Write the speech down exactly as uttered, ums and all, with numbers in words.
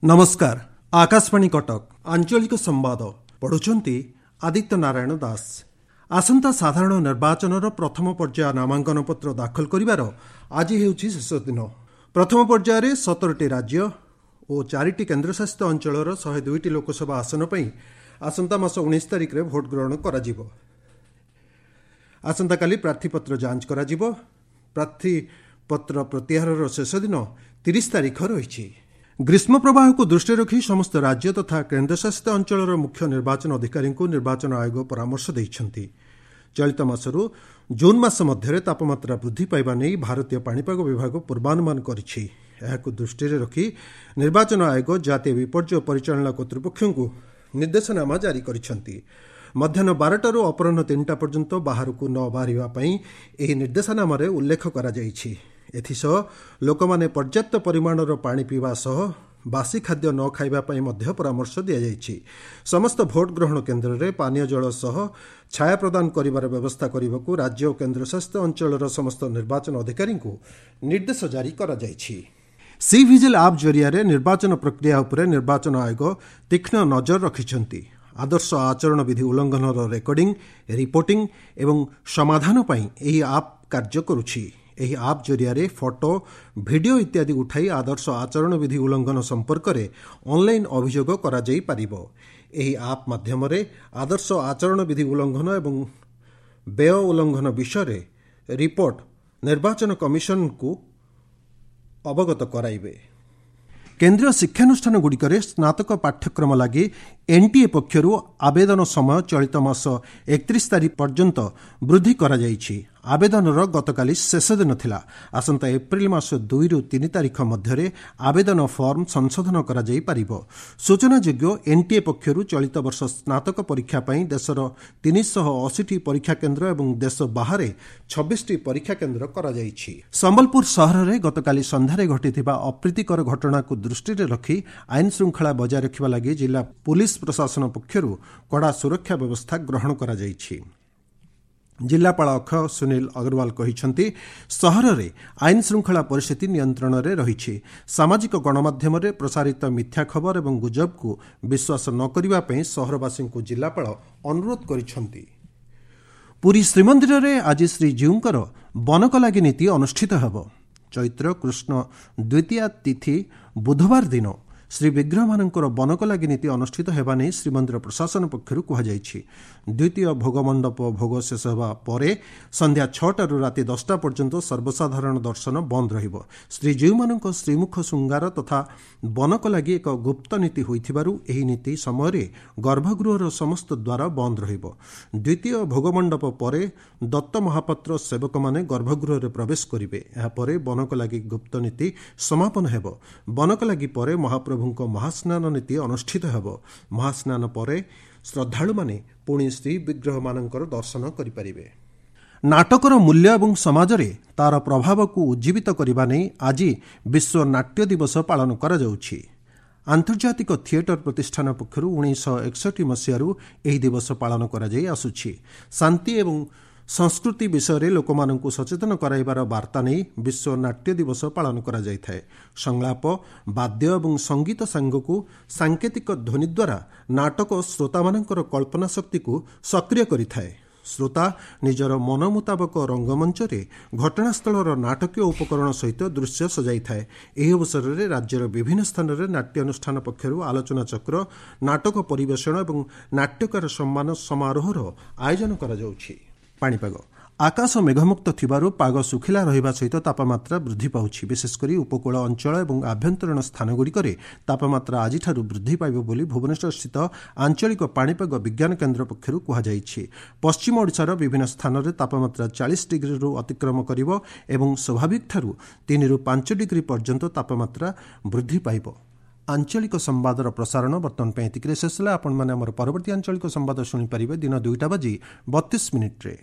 ନମସ୍କାର ଆକାଶବାଣୀ କଟକ ଆଞ୍ଚଳିକ ସମ୍ବାଦ ପଢୁଛନ୍ତି ଆଦିତ୍ୟ ନାରାୟଣ ଦାସ ଆସନ୍ତା ସାଧାରଣ ନିର୍ବାଚନର ପ୍ରଥମ ପର୍ଯ୍ୟାୟ ନାମାଙ୍କନ ପତ୍ର ଦାଖଲ କରିବାର ଆଜି ହେଉଛି ଶେଷ ଦିନ ପ୍ରଥମ ପର୍ଯ୍ୟାୟରେ ସତରଟି ରାଜ୍ୟ ଓ ଚାରିଟି କେନ୍ଦ୍ରଶାସିତ ଅଞ୍ଚଳର ଶହେ ଦୁଇଟି ଲୋକସଭା ଆସନ ପାଇଁ ଆସନ୍ତା ମାସ ଉଣେଇଶ ତାରିଖରେ ଭୋଟ ଗ୍ରହଣ କରାଯିବ ଆସନ୍ତାକାଲି ପ୍ରାର୍ଥୀପତ୍ର ଯାଞ୍ଚ କରାଯିବ ପ୍ରାର୍ଥୀପତ୍ର ପ୍ରତ୍ୟାହାରର ଶେଷ ଦିନ ତିରିଶ ତାରିଖ ରହିଛି ଗ୍ରୀଷ୍ମ ପ୍ରବାହକୁ ଦୃଷ୍ଟିରେ ରଖି ସମସ୍ତ ରାଜ୍ୟ ତଥା କେନ୍ଦ୍ରଶାସିତ ଅଞ୍ଚଳର ମୁଖ୍ୟ ନିର୍ବାଚନ ଅଧିକାରୀଙ୍କୁ ନିର୍ବାଚନ ଆୟୋଗ ପରାମର୍ଶ ଦେଇଛନ୍ତି ଚଳିତ ମାସରୁ ଜୁନ୍ ମାସ ମଧ୍ୟରେ ତାପମାତ୍ରା ବୃଦ୍ଧି ପାଇବା ନେଇ ଭାରତୀୟ ପାଣିପାଗ ବିଭାଗ ପୂର୍ବାନୁମାନ କରିଛି ଏହାକୁ ଦୃଷ୍ଟିରେ ରଖି ନିର୍ବାଚନ ଆୟୋଗ ଜାତୀୟ ବିପର୍ଯ୍ୟୟ ପରିଚାଳନା କର୍ତ୍ତୃପକ୍ଷଙ୍କୁ ନିର୍ଦ୍ଦେଶନାମା ଜାରି କରିଛନ୍ତି ମଧ୍ୟାହ୍ନ ବାରଟାରୁ ଅପରାହ୍ନ ତିନିଟା ପର୍ଯ୍ୟନ୍ତ ବାହାରକୁ ନ ବାହାରିବା ପାଇଁ ଏହି ନିର୍ଦ୍ଦେଶନାମାରେ ଉଲ୍ଲେଖ କରାଯାଇଛି ଏଥିସହ ଲୋକମାନେ ପର୍ଯ୍ୟାପ୍ତ ପରିମାଣର ପାଣି ପିଇବା ସହ ବାସି ଖାଦ୍ୟ ନ ଖାଇବା ପାଇଁ ମଧ୍ୟ ପରାମର୍ଶ ଦିଆଯାଇଛି ସମସ୍ତ ଭୋଟ ଗ୍ରହଣ କେନ୍ଦ୍ରରେ ପାନୀୟ ଜଳ ସହ ଛାୟା ପ୍ରଦାନ କରିବାର ବ୍ୟବସ୍ଥା କରିବାକୁ ରାଜ୍ୟ ଓ କେନ୍ଦ୍ରଶାସିତ ଅଞ୍ଚଳର ସମସ୍ତ ନିର୍ବାଚନ ଅଧିକାରୀଙ୍କୁ ନିର୍ଦ୍ଦେଶ ଜାରି କରାଯାଇଛି ସି ଭିଜିଲ୍ ଆପ୍ ଜରିଆରେ ନିର୍ବାଚନ ପ୍ରକ୍ରିୟା ଉପରେ ନିର୍ବାଚନ ଆୟୋଗ ତୀକ୍ଷ୍ଣ ନଜର ରଖିଛନ୍ତି ଆଦର୍ଶ ଆଚରଣ ବିଧି ଉଲ୍ଲଂଘନର ରେକର୍ଡିଂ ରିପୋର୍ଟିଂ ଏବଂ ସମାଧାନ ପାଇଁ ଏହି ଆପ୍ କାର୍ଯ୍ୟ କରୁଛି ଏହି ଆପ୍ ଜରିଆରେ ଫଟୋ ଭିଡିଓ ଇତ୍ୟାଦି ଉଠାଇ ଆଦର୍ଶ ଆଚରଣ ବିଧି ଉଲ୍ଲଂଘନ ସମ୍ପର୍କରେ ଅନ୍ଲାଇନ୍ ଅଭିଯୋଗ କରାଯାଇପାରିବ ଏହି ଆପ୍ ମାଧ୍ୟମରେ ଆଦର୍ଶ ଆଚରଣ ବିଧି ଉଲ୍ଲଂଘନ ଏବଂ ବ୍ୟୟ ଉଲ୍ଲଂଘନ ବିଷୟରେ ରିପୋର୍ଟ ନିର୍ବାଚନ କମିଶନଙ୍କୁ ଅବଗତ କରାଇବେ କେନ୍ଦ୍ରୀୟ ଶିକ୍ଷାନୁଷ୍ଠାନଗୁଡ଼ିକରେ ସ୍ନାତକ ପାଠ୍ୟକ୍ରମ ଲାଗି ଏନ୍ଟିଏ ପକ୍ଷରୁ ଆବେଦନ ସମୟ ଚଳିତ ମାସ ଏକତିରିଶ ତାରିଖ ପର୍ଯ୍ୟନ୍ତ ବୃଦ୍ଧି କରାଯାଇଛି ଆବେଦନର ଗତକାଲି ଶେଷ ଦିନ ଥିଲା ଆସନ୍ତା ଏପ୍ରିଲ ମାସ ଦୁଇରୁ ତିନି ତାରିଖ ମଧ୍ୟରେ ଆବେଦନ ଫର୍ମ ସଂଶୋଧନ କରାଯାଇପାରିବ ସୂଚନାଯୋଗ୍ୟ ଏନ୍ଟିଏ ପକ୍ଷରୁ ଚଳିତ ବର୍ଷ ସ୍ନାତକ ପରୀକ୍ଷା ପାଇଁ ଦେଶର ତିନିଶହ ଅଶୀଟି ପରୀକ୍ଷା କେନ୍ଦ୍ର ଏବଂ ଦେଶ ବାହାରେ ଛବିଶଟି ପରୀକ୍ଷା କେନ୍ଦ୍ର କରାଯାଇଛି ସମ୍ବଲପୁର ସହରରେ ଗତକାଲି ସନ୍ଧ୍ୟାରେ ଘଟିଥିବା ଅପ୍ରୀତିକର ଘଟଣାକୁ ଦୃଷ୍ଟିରେ ରଖି ଆଇନ ଶୃଙ୍ଖଳା ବଜାୟ ରଖିବା ଲାଗି ଜିଲ୍ଲା ପୁଲିସ୍ ପ୍ରଶାସନ ପକ୍ଷରୁ କଡ଼ା ସୁରକ୍ଷା ବ୍ୟବସ୍ଥା ଗ୍ରହଣ କରାଯାଇଛି ଜିଲ୍ଲାପାଳ ଅକ୍ଷୟ ସୁନୀଲ ଅଗ୍ରୱାଲ କହିଛନ୍ତି ସହରରେ ଆଇନ ଶୃଙ୍ଖଳା ପରିସ୍ଥିତି ନିୟନ୍ତ୍ରଣରେ ରହିଛି ସାମାଜିକ ଗଣମାଧ୍ୟମରେ ପ୍ରସାରିତ ମିଥ୍ୟା ଖବର ଏବଂ ଗୁଜବକୁ ବିଶ୍ୱାସ ନ କରିବା ପାଇଁ ସହରବାସୀଙ୍କୁ ଜିଲ୍ଲାପାଳ ଅନୁରୋଧ କରିଛନ୍ତି ପୁରୀ ଶ୍ରୀମନ୍ଦିରରେ ଆଜି ଶ୍ରୀଜୀଉଙ୍କର ବନକଲାଗି ନୀତି ଅନୁଷ୍ଠିତ ହେବ ଚୈତ୍ର କୃଷ୍ଣ ଦ୍ୱିତୀୟା ତିଥି ବୁଧବାର ଦିନ ଶ୍ରୀ ବିଗ୍ରହମାନଙ୍କର ବନକଲାଗି ନୀତି ଅନୁଷ୍ଠିତ ହେବା ନେଇ ଶ୍ରୀମନ୍ଦିର ପ୍ରଶାସନ ପକ୍ଷରୁ କୁହାଯାଇଛି ଦ୍ୱିତୀୟ ଭୋଗମଣ୍ଡପ ଭୋଗ ଶେଷ ହେବା ପରେ ସନ୍ଧ୍ୟା ଛଅଟାରୁ ରାତି ଦଶଟା ପର୍ଯ୍ୟନ୍ତ ସର୍ବସାଧାରଣ ଦର୍ଶନ ବନ୍ଦ ରହିବ ଶ୍ରୀଜୀଉମାନଙ୍କ ଶ୍ରୀମୁଖ ଶୃଙ୍ଗାର ତଥା ବନକଲାଗି ଏକ ଗୁପ୍ତ ନୀତି ହୋଇଥିବାରୁ ଏହି ନୀତି ସମୟରେ ଗର୍ଭଗୃହର ସମସ୍ତ ଦ୍ୱାର ବନ୍ଦ ରହିବ ଦ୍ୱିତୀୟ ଭୋଗମଣ୍ଡପ ପରେ ଦତ୍ତ ମହାପାତ୍ର ସେବକମାନେ ଗର୍ଭଗୃହରେ ପ୍ରବେଶ କରିବେ ଏହାପରେ ବନକଲାଗି ଗୁପ୍ତ ନୀତି ସମାପନ ହେବ ବନକଲାଗି ପରେ ମହାପ୍ରଭୁ ପ୍ରଭୁଙ୍କ ମହାସ୍ନାନ ନୀତି ଅନୁଷ୍ଠିତ ହେବ ମହାସ୍ନାନ ପରେ ଶ୍ରଦ୍ଧାଳୁମାନେ ପୁଣି ଶ୍ରୀବିଗ୍ରହମାନଙ୍କର ଦର୍ଶନ କରିପାରିବେ ନାଟକର ମୂଲ୍ୟ ଏବଂ ସମାଜରେ ତା'ର ପ୍ରଭାବକୁ ଉଜ୍ଜୀବିତ କରିବା ନେଇ ଆଜି ବିଶ୍ୱ ନାଟ୍ୟ ଦିବସ ପାଳନ କରାଯାଉଛି ଆନ୍ତର୍ଜାତିକ ଥିଏଟର ପ୍ରତିଷ୍ଠାନ ପକ୍ଷରୁ ଉଣେଇଶହ ଏକଷଠି ମସିହାରୁ ଏହି ଦିବସ ପାଳନ କରାଯାଇ ଆସୁଛି ଶାନ୍ତି ଏବଂ ସଂସ୍କୃତି ବିଷୟରେ ଲୋକମାନଙ୍କୁ ସଚେତନ କରାଇବାର ବାର୍ତ୍ତା ନେଇ ବିଶ୍ୱ ନାଟ୍ୟ ଦିବସ ପାଳନ କରାଯାଇଥାଏ ସଂଳାପ ବାଦ୍ୟ ଏବଂ ସଙ୍ଗୀତ ସାଙ୍ଗକୁ ସାଙ୍କେତିକ ଧ୍ୱନି ଦ୍ୱାରା ନାଟକ ଶ୍ରୋତାମାନଙ୍କର କଳ୍ପନା ଶକ୍ତିକୁ ସକ୍ରିୟ କରିଥାଏ ଶ୍ରୋତା ନିଜର ମନ ମୁତାବକ ରଙ୍ଗମଞ୍ଚରେ ଘଟଣାସ୍ଥଳର ନାଟକୀୟ ଉପକରଣ ସହିତ ଦୃଶ୍ୟ ସଜାଇଥାଏ ଏହି ଅବସରରେ ରାଜ୍ୟର ବିଭିନ୍ନ ସ୍ଥାନରେ ନାଟ୍ୟାନୁଷ୍ଠାନ ପକ୍ଷରୁ ଆଲୋଚନାଚକ୍ର ନାଟକ ପରିବେଷଣ ଏବଂ ନାଟ୍ୟକାର ସମ୍ମାନ ସମାରୋହର ଆୟୋଜନ କରାଯାଉଛି ପାଣିପାଗ ଆକାଶ ମେଘମୁକ୍ତ ଥିବାରୁ ପାଗ ଶୁଖିଲା ରହିବା ସହିତ ତାପମାତ୍ରା ବୃଦ୍ଧି ପାଉଛି ବିଶେଷକରି ଉପକୂଳ ଅଞ୍ଚଳ ଏବଂ ଆଭ୍ୟନ୍ତରୀଣ ସ୍ଥାନଗୁଡ଼ିକରେ ତାପମାତ୍ରା ଆଜିଠାରୁ ବୃଦ୍ଧି ପାଇବ ବୋଲି ଭୁବନେଶ୍ୱରସ୍ଥିତ ଆଞ୍ଚଳିକ ପାଣିପାଗ ବିଜ୍ଞାନ କେନ୍ଦ୍ର ପକ୍ଷରୁ କୁହାଯାଇଛି ପଶ୍ଚିମ ଓଡ଼ିଶାର ବିଭିନ୍ନ ସ୍ଥାନରେ ତାପମାତ୍ରା ଚାଳିଶ ଡିଗ୍ରୀରୁ ଅତିକ୍ରମ କରିବ ଏବଂ ସ୍ୱାଭାବିକଠାରୁ ତିନିରୁ ପାଞ୍ଚ ଡିଗ୍ରୀ ପର୍ଯ୍ୟନ୍ତ ତାପମାତ୍ରା ବୃଦ୍ଧି ପାଇବ ଆଞ୍ଚଳିକ ସମ୍ବାଦର ପ୍ରସାରଣ ବର୍ତ୍ତମାନ ପାଇଁ ଏତିକିରେ ଶେଷ ହେଲା ଆପଣମାନେ ଆମର ପରବର୍ତ୍ତୀ ଆଞ୍ଚଳିକ ସମ୍ବାଦ ଶୁଣିପାରିବେ ଦିନ ଦୁଇଟା ବାଜି ବତିଶ ମିନିଟ୍ରେ